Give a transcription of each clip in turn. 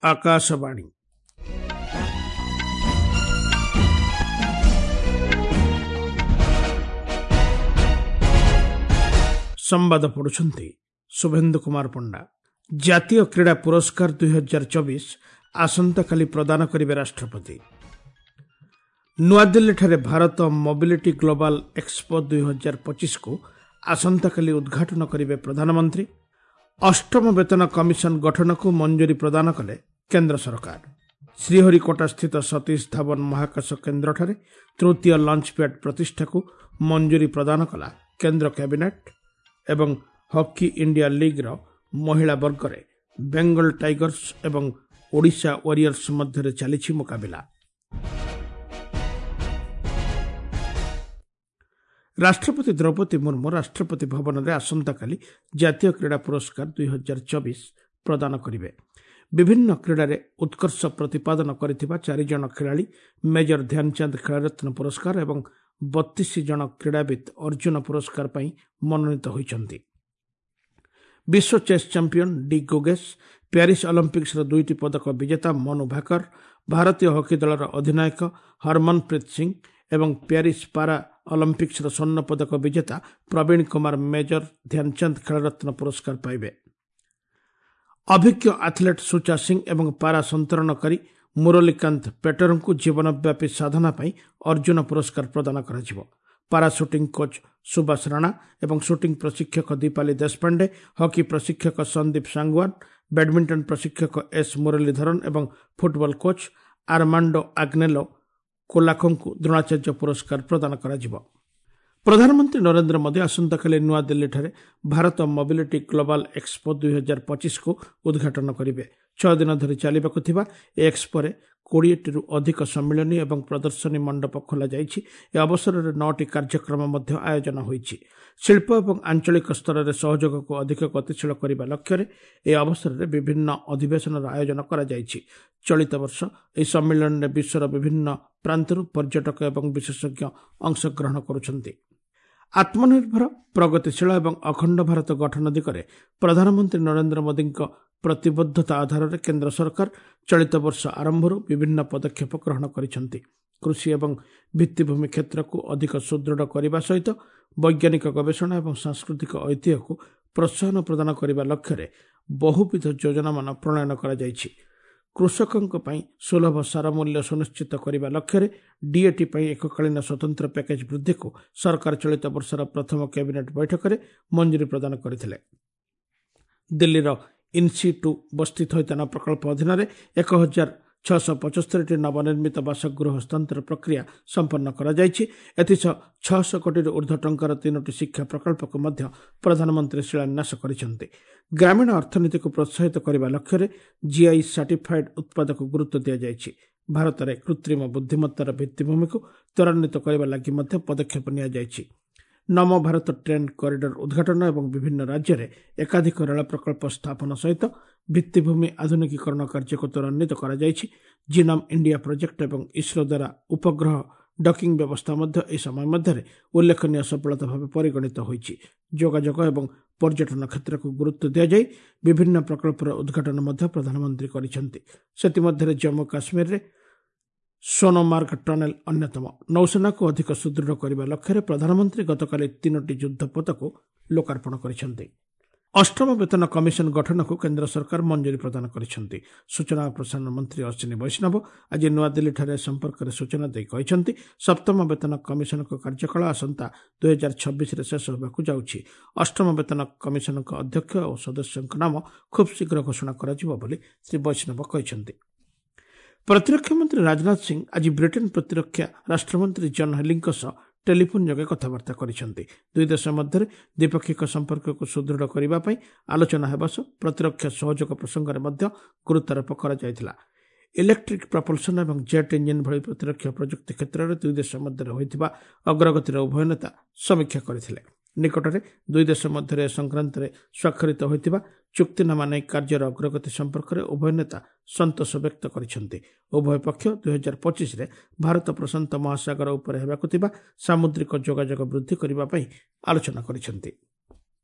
ଆକାଶବାଣୀ। ସମ୍ବାଦ ପଢୁଛନ୍ତି ଶୁଭେନ୍ଦୁ କୁମାର ପଣ୍ଡା। ଜାତୀୟ କ୍ରୀଡ଼ା ପୁରସ୍କାର 2024 ଆସନ୍ତାକାଲି ପ୍ରଦାନ କରିବେ ରାଷ୍ଟ୍ରପତି। ନୂଆଦିଲ୍ଲୀଠାରେ ଭାରତ ମୋବିଲିଟି ଗ୍ଲୋବାଲ ଏକ୍ସପୋ 2025କୁ ଆସନ୍ତାକାଲି ଉଦ୍ଘାଟନ କରିବେ ପ୍ରଧାନମନ୍ତ୍ରୀ। ଅଷ୍ଟମ ବେତନ କମିଶନ ଗଠନକୁ ମଞ୍ଜୁରୀ ପ୍ରଦାନ କଲେ କେନ୍ଦ୍ର ସରକାର। ଶ୍ରୀହରିକୋଟାସ୍ଥିତ ସତୀଶ ଧାୱନ ମହାକାଶ କେନ୍ଦ୍ରଠାରେ ତୃତୀୟ ଲଞ୍ଚ ପ୍ୟାଡ୍ ପ୍ରତିଷ୍ଠାକୁ ମଞ୍ଜୁରୀ ପ୍ରଦାନ କଲା କେନ୍ଦ୍ର କ୍ୟାବିନେଟ୍। ଏବଂ ହକି ଇଣ୍ଡିଆ ଲିଗ୍ର ମହିଳା ବର୍ଗରେ ବେଙ୍ଗଲ ଟାଇଗର୍ସ ଏବଂ ଓଡ଼ିଶା ୱାରିୟର୍ସ ମଧ୍ୟରେ ଚାଲିଛି ମୁକାବିଲା। ରାଷ୍ଟ୍ରପତି ଦ୍ରୌପଦୀ ମୁର୍ମୁ ରାଷ୍ଟ୍ରପତି ଭବନରେ ଆସନ୍ତାକାଲି ଜାତୀୟ କ୍ରୀଡ଼ା ପୁରସ୍କାର 2024 ପ୍ରଦାନ କରିବେ। ବିଭିନ୍ନ କ୍ରୀଡ଼ାରେ ଉତ୍କର୍ଷ ପ୍ରତିପାଦନ କରିଥିବା 4 ଜଣ ଖେଳାଳି ମେଜର ଧ୍ୟାନଚାନ୍ଦ ଖେଳରତ୍ନ ପୁରସ୍କାର ଏବଂ 32 ଜଣ କ୍ରୀଡ଼ାବିତ୍ ଅର୍ଜୁନ ପୁରସ୍କାର ପାଇଁ ମନୋନୀତ ହୋଇଛନ୍ତି। ବିଶ୍ୱ ଚେସ୍ ଚାମ୍ପିୟନ ଡି ଗୁଗେଶ, ପ୍ୟାରିସ୍ ଅଲିମ୍ପିକ୍ସର 2ଟି ପଦକ ବିଜେତା ମନୁ ଭାକର, ଭାରତୀୟ ହକି ଦଳର ଅଧିନାୟକ ହରମନପ୍ରୀତ ସିଂ ଏବଂ ପ୍ୟାରିସ୍ ପାରା ଅଲିମ୍ପିକ୍ସର ସ୍ୱର୍ଣ୍ଣ ପଦକ ବିଜେତା ପ୍ରବୀଣ କୁମାର ମେଜର ଧ୍ୟାନଚାନ୍ଦ ଖେଳରତ୍ନ ପୁରସ୍କାର ପାଇବେ। ଅଭିଜ୍ଞ ଆଥଲେଟ୍ ସୁଚା ସିଂ ଏବଂ ପାରା ସନ୍ତରଣକାରୀ ମୁରଲୀକାନ୍ତ ପେଟରଙ୍କୁ ଜୀବନବ୍ୟାପୀ ସାଧନା ପାଇଁ ଅର୍ଜୁନ ପୁରସ୍କାର ପ୍ରଦାନ କରାଯିବ। ପାରା ସୁଟିଂ କୋଚ୍ ସୁବାସ ରାଣା ଏବଂ ସୁଟିଂ ପ୍ରଶିକ୍ଷକ ଦୀପାଲି ଦେଶପାଣ୍ଡେ, ହକି ପ୍ରଶିକ୍ଷକ ସନ୍ଦୀପ ସାଙ୍ଗୱାନ, ବ୍ୟାଡମିଣ୍ଟନ ପ୍ରଶିକ୍ଷକ ଏସ୍ ମୁରଲୀଧରନ୍ ଏବଂ ଫୁଟବଲ କୋଚ୍ ଆର୍ମାଣ୍ଡୋ ଆଗ୍ନେଲୋ କୋଲାକୋଙ୍କୁ ଦ୍ରୋଣାଚାର୍ଯ୍ୟ ପୁରସ୍କାର ପ୍ରଦାନ କରାଯିବ। ପ୍ରଧାନମନ୍ତ୍ରୀ ନରେନ୍ଦ୍ର ମୋଦି ଆସନ୍ତାକାଲି ନୂଆଦିଲ୍ଲୀଠାରେ ଭାରତ ମୋବିଲିଟି ଗ୍ଲୋବାଲ ଏକ୍ସପୋ 2025କୁ ଉଦ୍ଘାଟନ କରିବେ। 6 ଦିନ ଧରି ଚାଲିବାକୁ ଥିବା ଏ ଏକ୍ସପୋରେ 20ଟିରୁ ଅଧିକ ସମ୍ମିଳନୀ ଏବଂ ପ୍ରଦର୍ଶନୀ ମଣ୍ଡପ ଖୋଲାଯାଇଛି। ଏ ଅବସରରେ 9ଟି କାର୍ଯ୍ୟକ୍ରମ ମଧ୍ୟ ଆୟୋଜନ ହୋଇଛି। ଶିଳ୍ପ ଏବଂ ଆଞ୍ଚଳିକ ସ୍ତରରେ ସହଯୋଗକୁ ଅଧିକ ଗତିଶୀଳ କରିବା ଲକ୍ଷ୍ୟରେ ଏ ଅବସରରେ ବିଭିନ୍ନ ଅଧିବେଶନର ଆୟୋଜନ କରାଯାଇଛି। ଚଳିତ ବର୍ଷ ଏହି ସମ୍ମିଳନୀରେ ବିଶ୍ୱର ବିଭିନ୍ନ ପ୍ରାନ୍ତରୁ ପର୍ଯ୍ୟଟକ ଏବଂ ବିଶେଷଜ୍ଞ ଅଂଶଗ୍ରହଣ କରୁଛନ୍ତି। ଆତ୍ମନିର୍ଭର, ପ୍ରଗତିଶୀଳ ଏବଂ ଅଖଣ୍ଡ ଭାରତ ଗଠନ ଦିଗରେ ପ୍ରଧାନମନ୍ତ୍ରୀ ନରେନ୍ଦ୍ର ମୋଦିଙ୍କ ପ୍ରତିବଦ୍ଧତା ଆଧାରରେ କେନ୍ଦ୍ର ସରକାର ଚଳିତ ବର୍ଷ ଆରମ୍ଭରୁ ବିଭିନ୍ନ ପଦକ୍ଷେପ ଗ୍ରହଣ କରିଛନ୍ତି। କୃଷି ଏବଂ ଭିତ୍ତିଭୂମି କ୍ଷେତ୍ରକୁ ଅଧିକ ସୁଦୃଢ଼ କରିବା ସହିତ ବୈଜ୍ଞାନିକ ଗବେଷଣା ଏବଂ ସାଂସ୍କୃତିକ ଐତିହ୍ୟକୁ ପ୍ରୋତ୍ସାହନ ପ୍ରଦାନ କରିବା ଲକ୍ଷ୍ୟରେ ବହୁବିଧ ଯୋଜନାମାନ ପ୍ରଣୟନ କରାଯାଇଛି। କୃଷକଙ୍କ ପାଇଁ ସୁଲଭ ସାର ମୂଲ୍ୟ ସୁନିଶ୍ଚିତ କରିବା ଲକ୍ଷ୍ୟରେ ଡିଏଟି ପାଇଁ ଏକକାଳୀନ ସ୍ୱତନ୍ତ୍ର ପ୍ୟାକେଜ୍ ବୃଦ୍ଧିକୁ ସରକାର ଚଳିତ ବର୍ଷର ପ୍ରଥମ କ୍ୟାବିନେଟ୍ ବୈଠକରେ ମଞ୍ଜୁରୀ ପ୍ରଦାନ କରିଥିଲେ। ଦିଲ୍ଲୀର ଇନ୍ସି-2 ବସ୍ତି ଥଇଥାନ ପ୍ରକଳ୍ପ ଅଧୀନରେ 1675ଟି ନବନିର୍ମିତ ବାସଗୃହ ହସ୍ତାନ୍ତର ପ୍ରକ୍ରିୟା ସମ୍ପନ୍ନ କରାଯାଇଛି। ଏଥିସହ 600 କୋଟିରୁ ଉର୍ଦ୍ଧ୍ୱ ଟଙ୍କାର 3ଟି ଶିକ୍ଷା ପ୍ରକଳ୍ପକୁ ମଧ୍ୟ ପ୍ରଧାନମନ୍ତ୍ରୀ ଶିଳାନ୍ୟାସ କରିଛନ୍ତି। ଗ୍ରାମୀଣ ଅର୍ଥନୀତିକୁ ପ୍ରୋତ୍ସାହିତ କରିବା ଲକ୍ଷ୍ୟରେ ଜିଆଇ ସାର୍ଟିଫାଏଡ୍ ଉତ୍ପାଦକୁ ଗୁରୁତ୍ୱ ଦିଆଯାଇଛି। ଭାରତରେ କୃତ୍ରିମ ବୁଦ୍ଧିମତ୍ତାର ଭିତ୍ତିଭୂମିକୁ ତ୍ୱରାନ୍ୱିତ କରିବା ଲାଗି ମଧ୍ୟ ପଦକ୍ଷେପ ନିଆଯାଇଛି। ନମୋ ଭାରତ ଟ୍ରେନ୍ କରିଡର ଉଦ୍ଘାଟନ ଏବଂ ବିଭିନ୍ନ ରାଜ୍ୟରେ ଏକାଧିକ ରେଳ ପ୍ରକଳ୍ପ ସ୍ଥାପନ ସହିତ ଭିତ୍ତିଭୂମି ଆଧୁନିକୀକରଣ କାର୍ଯ୍ୟକୁ ତ୍ୱରାନ୍ୱିତ କରାଯାଇଛି। ଜିନମ୍ ଇଣ୍ଡିଆ ପ୍ରୋଜେକ୍ଟ ଏବଂ ଇସ୍ରୋ ଦ୍ୱାରା ଉପଗ୍ରହ ଡକିଂ ବ୍ୟବସ୍ଥା ମଧ୍ୟ ଏହି ସମୟ ମଧ୍ୟରେ ଉଲ୍ଲେଖନୀୟ ସଫଳତା ଭାବେ ପରିଗଣିତ ହୋଇଛି। ଯୋଗାଯୋଗ ଏବଂ ପର୍ଯ୍ୟଟନ କ୍ଷେତ୍ରକୁ ଗୁରୁତ୍ୱ ଦିଆଯାଇ ବିଭିନ୍ନ ପ୍ରକଳ୍ପର ଉଦ୍ଘାଟନ ମଧ୍ୟ ପ୍ରଧାନମନ୍ତ୍ରୀ କରିଛନ୍ତି। ସେଥିମଧ୍ୟରେ ଜମ୍ମୁ କାଶ୍ମୀରରେ ସୋନମାର୍ଗ ଟନେଲ ଅନ୍ୟତମ। ନୌସେନାକୁ ଅଧିକ ସୁଦୃଢ଼ କରିବା ଲକ୍ଷ୍ୟରେ ପ୍ରଧାନମନ୍ତ୍ରୀ ଗତକାଲି 3ଟି ଯୁଦ୍ଧପୋତକୁ ଲୋକାର୍ପଣ କରିଛନ୍ତି। ଅଷ୍ଟମ ବେତନ କମିଶନ ଗଠନକୁ କେନ୍ଦ୍ର ସରକାର ମଞ୍ଜୁରୀ ପ୍ରଦାନ କରିଛନ୍ତି। ସୂଚନା ଓ ପ୍ରସାରଣ ମନ୍ତ୍ରୀ ଅଶ୍ୱିନୀ ବୈଷ୍ଣବ ଆଜି ନୂଆଦିଲ୍ଲୀଠାରେ ଏ ସମ୍ପର୍କରେ ସୂଚନା ଦେଇ କହିଛନ୍ତି, ସପ୍ତମ ବେତନ କମିଶନଙ୍କ କାର୍ଯ୍ୟକାଳ ଆସନ୍ତା 2026ରେ ଶେଷ ହେବାକୁ ଯାଉଛି। ଅଷ୍ଟମ ବେତନ କମିଶନଙ୍କ ଅଧ୍ୟକ୍ଷ ଓ ସଦସ୍ୟଙ୍କ ନାମ ଖୁବ୍ ଶୀଘ୍ର ଘୋଷଣା କରାଯିବ ବୋଲି ଶ୍ରୀ ବୈଷ୍ଣବ କହିଛନ୍ତି। ପ୍ରତିରକ୍ଷା ମନ୍ତ୍ରୀ ରାଜନାଥ ସିଂ ଆଜି ବ୍ରିଟେନ୍ ପ୍ରତିରକ୍ଷା ରାଷ୍ଟ୍ରମନ୍ତ୍ରୀ ଜନ୍ ହେଲିଙ୍କ ସହ ଟେଲିଫୋନ୍ ଯୋଗେ କଥାବାର୍ତ୍ତା କରିଛନ୍ତି। ଦୁଇ ଦେଶ ମଧ୍ୟରେ ଦ୍ୱିପାକ୍ଷିକ ସମ୍ପର୍କକୁ ସୁଦୃଢ଼ କରିବା ପାଇଁ ଆଲୋଚନା ହେବା ସହ ପ୍ରତିରକ୍ଷା ସହଯୋଗ ପ୍ରସଙ୍ଗରେ ମଧ୍ୟ ଗୁରୁତ୍ୱାରୋପ କରାଯାଇଥିଲା। ଇଲେକ୍ଟ୍ରିକ୍ ପ୍ରପଲ୍ସନ୍ ଏବଂ ଜେଟ୍ ଇଞ୍ଜିନ୍ ଭଳି ପ୍ରତିରକ୍ଷା ପ୍ରଯୁକ୍ତି କ୍ଷେତ୍ରରେ ଦୁଇ ଦେଶ ମଧ୍ୟରେ ହୋଇଥିବା ଅଗ୍ରଗତିର ଉଭୟ ନେତା ସମୀକ୍ଷା କରିଥିଲେ। ନିକଟରେ ଦୁଇ ଦେଶ ମଧ୍ୟରେ ଏ ସଂକ୍ରାନ୍ତରେ ସ୍ୱାକ୍ଷରିତ ହୋଇଥିବା ଚୁକ୍ତିନାମା ନେଇ କାର୍ଯ୍ୟର ଅଗ୍ରଗତି ସମ୍ପର୍କରେ ଉଭୟ ନେତା ସନ୍ତୋଷ ବ୍ୟକ୍ତ କରିଛନ୍ତି। ଉଭୟ ପକ୍ଷ 2025ରେ ଭାରତ ପ୍ରଶାନ୍ତ ମହାସାଗର ଉପରେ ହେବାକୁ ଥିବା ସାମୁଦ୍ରିକ ଯୋଗାଯୋଗ ବୃଦ୍ଧି କରିବା ପାଇଁ ଆଲୋଚନା କରିଛନ୍ତି।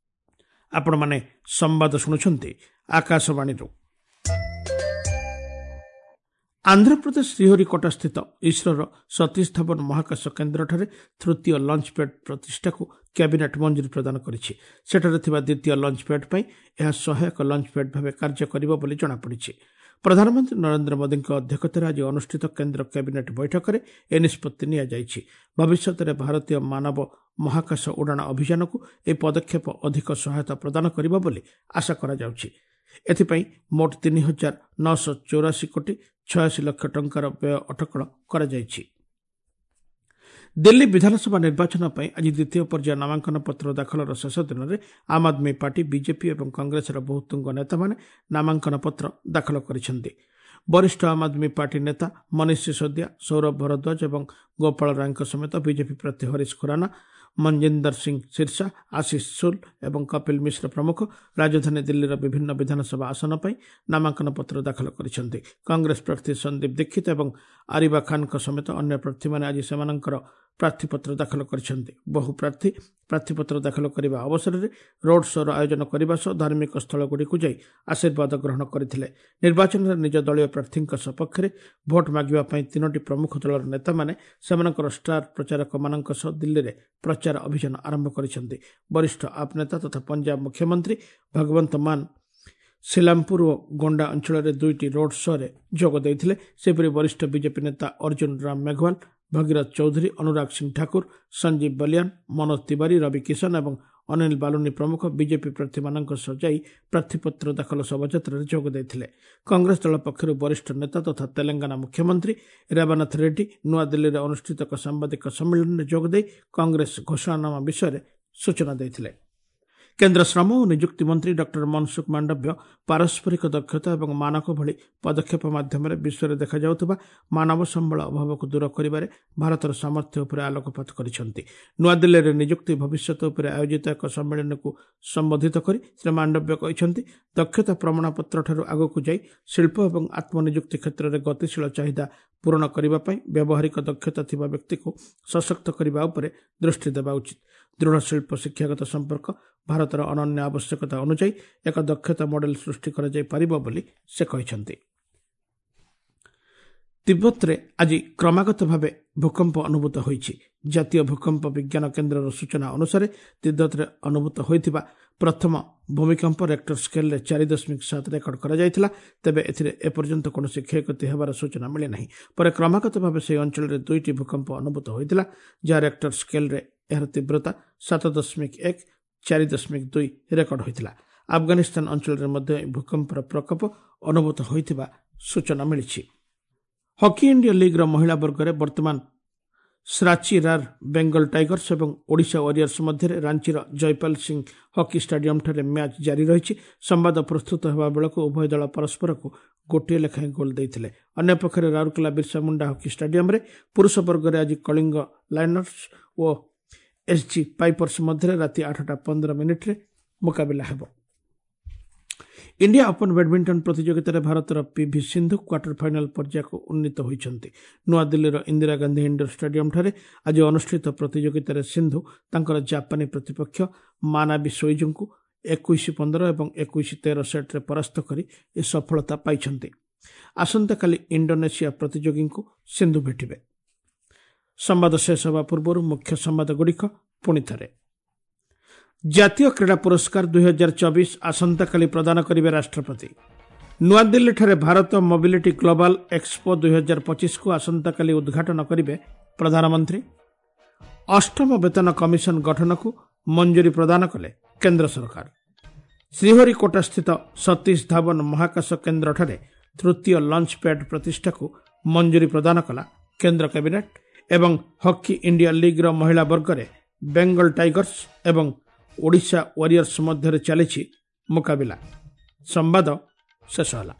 ଆପଣମାନେ ସମ୍ବାଦ ଶୁଣୁଛନ୍ତି ଆକାଶବାଣୀରୁ। ଆନ୍ଧ୍ରପ୍ରଦେଶ ଶ୍ରୀହରିକୋଟାସ୍ଥିତ ଇସ୍ରୋର ସତୀଶ ଧାୱନ ମହାକାଶ କେନ୍ଦ୍ରଠାରେ ତୃତୀୟ ଲଞ୍ଚ ପ୍ୟାଡ୍ ପ୍ରତିଷ୍ଠାକୁ କ୍ୟାବିନେଟ୍ ମଞ୍ଜୁରୀ ପ୍ରଦାନ କରିଛି। ସେଠାରେ ଥିବା ଦ୍ୱିତୀୟ ଲଞ୍ଚ ପ୍ୟାଡ୍ ପାଇଁ ଏହା ସହାୟକ ଲଞ୍ଚ ପ୍ୟାଡ୍ ଭାବେ କାର୍ଯ୍ୟ କରିବ ବୋଲି ଜଣାପଡ଼ିଛି। ପ୍ରଧାନମନ୍ତ୍ରୀ ନରେନ୍ଦ୍ର ମୋଦିଙ୍କ ଅଧ୍ୟକ୍ଷତାରେ ଆଜି ଅନୁଷ୍ଠିତ କେନ୍ଦ୍ର କ୍ୟାବିନେଟ୍ ବୈଠକରେ ଏ ନିଷ୍ପତ୍ତି ନିଆଯାଇଛି। ଭବିଷ୍ୟତରେ ଭାରତୀୟ ମାନବ ମହାକାଶ ଉଡ଼ାଣ ଅଭିଯାନକୁ ଏହି ପଦକ୍ଷେପ ଅଧିକ ସହାୟତା ପ୍ରଦାନ କରିବ ବୋଲି ଆଶା କରାଯାଉଛି। ଏଥିପାଇଁ ମୋଟ 3,984 କୋଟି 86 ଲକ୍ଷ ଟଙ୍କାର ବ୍ୟୟ ଅଟକଳ କରାଯାଇଛି। ଦିଲ୍ଲୀ ବିଧାନସଭା ନିର୍ବାଚନ ପାଇଁ ଆଜି ଦ୍ୱିତୀୟ ପର୍ଯ୍ୟାୟ ନାମାଙ୍କନ ପତ୍ର ଦାଖଲର ଶେଷ ଦିନରେ ଆମ୍ ଆଦମୀ ପାର୍ଟି, ବିଜେପି ଏବଂ କଂଗ୍ରେସର ବହୁ ତୁଙ୍ଗ ନେତାମାନେ ନାମାଙ୍କନ ପତ୍ର ଦାଖଲ କରିଛନ୍ତି। ବରିଷ୍ଠ ଆମ୍ ଆଦମୀ ପାର୍ଟି ନେତା ମନୀଷ ସିସୋଦିଆ, ସୌରଭ ଭରଦ୍ୱାଜ ଏବଂ ଗୋପାଳ ରାୟଙ୍କ ସମେତ ବିଜେପି ପ୍ରାର୍ଥୀ ହରିଶ ଖୁରାନା, ମଞ୍ଜିନ୍ଦର ସିଂ ସିର୍ସା, ଆଶିଷ ସୁଲ ଏବଂ କପିଲ ମିଶ୍ର ପ୍ରମୁଖ ରାଜଧାନୀ ଦିଲ୍ଲୀର ବିଭିନ୍ନ ବିଧାନସଭା ଆସନ ପାଇଁ ନାମାଙ୍କନ ପତ୍ର ଦାଖଲ କରିଛନ୍ତି। କଂଗ୍ରେସ ପ୍ରାର୍ଥୀ ସନ୍ଦୀପ ଦୀକ୍ଷିତ ଏବଂ ଆରିବା ଖାନଙ୍କ ସମେତ ଅନ୍ୟ ପ୍ରାର୍ଥୀମାନେ ଆଜି ସେମାନଙ୍କର ପ୍ରାର୍ଥୀପତ୍ର ଦାଖଲ କରିଛନ୍ତି। ବହୁ ପ୍ରାର୍ଥୀ ପ୍ରାର୍ଥୀପତ୍ର ଦାଖଲ କରିବା ଅବସରରେ ରୋଡ୍ ଶୋର ଆୟୋଜନ କରିବା ସହ ଧାର୍ମିକ ସ୍ଥଳଗୁଡ଼ିକୁ ଯାଇ ଆଶୀର୍ବାଦ ଗ୍ରହଣ କରିଥିଲେ। ନିର୍ବାଚନରେ ନିଜ ଦଳୀୟ ପ୍ରାର୍ଥୀଙ୍କ ସପକ୍ଷରେ ଭୋଟ୍ ମାଗିବା ପାଇଁ ତିନୋଟି ପ୍ରମୁଖ ଦଳର ନେତାମାନେ ସେମାନଙ୍କର ଷ୍ଟାର ପ୍ରଚାରକମାନଙ୍କ ସହ ଦିଲ୍ଲୀରେ ପ୍ରଚାର ଅଭିଯାନ ଆରମ୍ଭ କରିଛନ୍ତି। ବରିଷ୍ଠ ଆପ୍ ନେତା ତଥା ପଞ୍ଜାବ ମୁଖ୍ୟମନ୍ତ୍ରୀ ଭଗବନ୍ତ ମାନ ସିଲାମପୁର ଓ ଗୋଣ୍ଡା ଅଞ୍ଚଳରେ ଦୁଇଟି ରୋଡ୍ ଶୋରେ ଯୋଗ ଦେଇଥିଲେ। ସେହିପରି ବରିଷ୍ଠ ବିଜେପି ନେତା ଅର୍ଜୁନ ରାମ ମେଘୱାଲ, ଭଗୀରଥ ଚୌଧୁରୀ, ଅନୁରାଗ ସିଂ ଠାକୁର, ସଞ୍ଜୀବ ବଲିଆନ, ମନୋଜ ତିୱାରୀ, ରବି କିଶନ ଏବଂ ଅନିଲ ବାଲୁନି ପ୍ରମୁଖ ବିଜେପି ପ୍ରାର୍ଥୀମାନଙ୍କ ସହ ଯାଇ ପ୍ରାର୍ଥୀପତ୍ର ଦାଖଲ ଶୋଭାଯାତ୍ରାରେ ଯୋଗ ଦେଇଥିଲେ। କଂଗ୍ରେସ ଦଳ ପକ୍ଷରୁ ବରିଷ୍ଠ ନେତା ତଥା ତେଲେଙ୍ଗାନା ମୁଖ୍ୟମନ୍ତ୍ରୀ ରେବନାଥ ରେଡ୍ଡି ନୂଆଦିଲ୍ଲୀରେ ଅନୁଷ୍ଠିତ ଏକ ସାମ୍ବାଦିକ ସମ୍ମିଳନୀରେ ଯୋଗଦେଇ କଂଗ୍ରେସ ଘୋଷଣାନାମା ବିଷୟରେ ସୂଚନା ଦେଇଥିଲେ। କେନ୍ଦ୍ର ଶ୍ରମ ଓ ନିଯୁକ୍ତି ମନ୍ତ୍ରୀ ଡକ୍ଟର ମନସୁଖ ମାଣ୍ଡବ୍ୟ ପାରସ୍ପରିକ ଦକ୍ଷତା ଏବଂ ମାନକ ଭଳି ପଦକ୍ଷେପ ମାଧ୍ୟମରେ ବିଶ୍ୱରେ ଦେଖାଯାଉଥିବା ମାନବ ସମ୍ବଳ ଅଭାବକୁ ଦୂର କରିବାରେ ଭାରତର ସାମର୍ଥ୍ୟ ଉପରେ ଆଲୋକପାତ କରିଛନ୍ତି। ନୂଆଦିଲ୍ଲୀରେ ନିଯୁକ୍ତି ଭବିଷ୍ୟତ ଉପରେ ଆୟୋଜିତ ଏକ ସମ୍ମିଳନୀକୁ ସମ୍ବୋଧିତ କରି ଶ୍ରୀ ମାଣ୍ଡବ୍ୟ କହିଛନ୍ତି, ଦକ୍ଷତା ପ୍ରମାଣପତ୍ରଠାରୁ ଆଗକୁ ଯାଇ ଶିଳ୍ପ ଏବଂ ଆତ୍ମନିଯୁକ୍ତି କ୍ଷେତ୍ରରେ ଗତିଶୀଳ ଚାହିଦା ପୂରଣ କରିବା ପାଇଁ ବ୍ୟବହାରିକ ଦକ୍ଷତା ଥିବା ବ୍ୟକ୍ତିକୁ ସଶକ୍ତ କରିବା ଉପରେ ଦୃଷ୍ଟି ଦେବା ଉଚିତ। ଦୃଢ଼ ଶିଳ୍ପ ଶିକ୍ଷାଗତ ସମ୍ପର୍କ ଭାରତର ଅନନ୍ୟ ଆବଶ୍ୟକତା ଅନୁଯାୟୀ ଏକ ଦକ୍ଷତା ମଡେଲ ସୃଷ୍ଟି କରାଯାଇପାରିବ ବୋଲି ସେ କହିଛନ୍ତି। ତିବ୍ବତରେ ଆଜି କ୍ରମାଗତ ଭାବେ ଭୂକମ୍ପ ଅନୁଭୂତ ହୋଇଛି। ଜାତୀୟ ଭୂକମ୍ପ ବିଜ୍ଞାନ କେନ୍ଦ୍ରର ସୂଚନା ଅନୁସାରେ ତିବ୍ବତରେ ଅନୁଭୂତ ହୋଇଥିବା ପ୍ରଥମ ଭୂମିକମ୍ପ ରେକ୍ଟର ସ୍କେଲରେ 4.7 ରେକର୍ଡ କରାଯାଇଥିଲା। ତେବେ ଏଥିରେ ଏପର୍ଯ୍ୟନ୍ତ କୌଣସି କ୍ଷୟକ୍ଷତି ହେବାର ସୂଚନା ମିଳିନାହିଁ। ପରେ କ୍ରମାଗତ ଭାବେ ସେହି ଅଞ୍ଚଳରେ ଦୁଇଟି ଭୂକମ୍ପ ଅନୁଭୂତ ହୋଇଥିଲା, ଯାହା ରେକ୍ଟର ସ୍କେଲରେ ଏହାର ତୀବ୍ରତା 7.1, 4.2 ରେକର୍ଡ ହୋଇଥିଲା। ଆଫଗାନିସ୍ତାନ ଅଞ୍ଚଳରେ ମଧ୍ୟ ଏହି ଭୂକମ୍ପର ପ୍ରକୋପ ଅନୁଭୂତ ହୋଇଥିବା ସୂଚନା ମିଳିଛି। ହକି ଇଣ୍ଡିଆ ଲିଗ୍ର ମହିଳା ବର୍ଗରେ ବର୍ତ୍ତମାନ ଶ୍ରାଚି ରାର୍ ବେଙ୍ଗଲ ଟାଇଗର୍ସ ଏବଂ ଓଡ଼ିଶା ୱାରିୟର୍ସ ମଧ୍ୟରେ ରାଞ୍ଚିର ଜୟପାଲ ସିଂ ହକି ଷ୍ଟାଡିୟମଠାରେ ମ୍ୟାଚ୍ ଜାରି ରହିଛି। ସମ୍ବାଦ ପ୍ରସ୍ତୁତ ହେବା ବେଳକୁ ଉଭୟ ଦଳ ପରସ୍ପରକୁ ଗୋଟିଏ ଲେଖାଏଁ ଗୋଲ୍ ଦେଇଥିଲେ। ଅନ୍ୟପକ୍ଷରେ ରାଉରକେଲା ବିର୍ସା ମୁଣ୍ଡା ହକି ଷ୍ଟାଡିୟମରେ ପୁରୁଷ ବର୍ଗରେ ଆଜି କଳିଙ୍ଗ ଲାଇନର୍ସ ଓ ଏସ୍ଜି ପାଇପର୍ସ ମଧ୍ୟରେ ରାତି 8:15 ମୁକାବିଲା ହେବ। ଇଣ୍ଡିଆ ଓପନ୍ ବ୍ୟାଡମିଣ୍ଟନ ପ୍ରତିଯୋଗିତାରେ ଭାରତର ପିଭି ସିନ୍ଧୁ କ୍ୱାର୍ଟର ଫାଇନାଲ ପର୍ଯ୍ୟାୟକୁ ଉନ୍ନୀତ ହୋଇଛନ୍ତି। ନୂଆଦିଲ୍ଲୀର ଇନ୍ଦିରା ଗାନ୍ଧୀ ଇଣ୍ଡୋର ଷ୍ଟାଡିୟମଠାରେ ଆଜି ଅନୁଷ୍ଠିତ ପ୍ରତିଯୋଗିତାରେ ସିନ୍ଧୁ ତାଙ୍କର ଜାପାନୀ ପ୍ରତିପକ୍ଷ ମାନାବି ସୋଇଜୁଙ୍କୁ 21-15 ଏବଂ 21-13 ସେଟ୍ରେ ପରାସ୍ତ କରି ଏ ସଫଳତା ପାଇଛନ୍ତି। ଆସନ୍ତାକାଲି ଇଣ୍ଡୋନେସିଆ ପ୍ରତିଯୋଗୀଙ୍କୁ ସିନ୍ଧୁ ଭେଟିବେ। ସମ୍ବାଦ ଶେଷ ହେବା ପୂର୍ବରୁ ମୁଖ୍ୟ ସମ୍ବାଦଗୁଡ଼ିକ ପୁଣି ଥରେ। ଜାତୀୟ କ୍ରୀଡ଼ା ପୁରସ୍କାର 2024 ଆସନ୍ତାକାଲି ପ୍ରଦାନ କରିବେ ରାଷ୍ଟ୍ରପତି। ନୂଆଦିଲ୍ଲୀଠାରେ ଭାରତ ମୋବିଲିଟି ଗ୍ଲୋବାଲ ଏକ୍ସପୋ 2025କୁ ଆସନ୍ତାକାଲି ଉଦ୍ଘାଟନ କରିବେ ପ୍ରଧାନମନ୍ତ୍ରୀ। ଅଷ୍ଟମ ବେତନ କମିଶନ ଗଠନକୁ ମଞ୍ଜୁରୀ ପ୍ରଦାନ କଲେ କେନ୍ଦ୍ର ସରକାର। ଶ୍ରୀହରିକୋଟାସ୍ଥିତ ସତୀଶ ଧାୱନ ମହାକାଶ କେନ୍ଦ୍ରଠାରେ ତୃତୀୟ ଲଞ୍ଚ ପ୍ୟାଡ୍ ପ୍ରତିଷ୍ଠାକୁ ମଞ୍ଜୁରୀ ପ୍ରଦାନ କଲା କେନ୍ଦ୍ର କ୍ୟାବିନେଟ୍। ଏବଂ ହକି ଇଣ୍ଡିଆ ଲିଗ୍ର ମହିଳା ବର୍ଗରେ ବେଙ୍ଗଲ ଟାଇଗର୍ସ ଏବଂ ଓଡ଼ିଶା ୱାରିୟର୍ସ ମଧ୍ୟରେ ଚାଲିଛି ମୁକାବିଲା। ସମ୍ବାଦ ଶେଷ ହେଲା।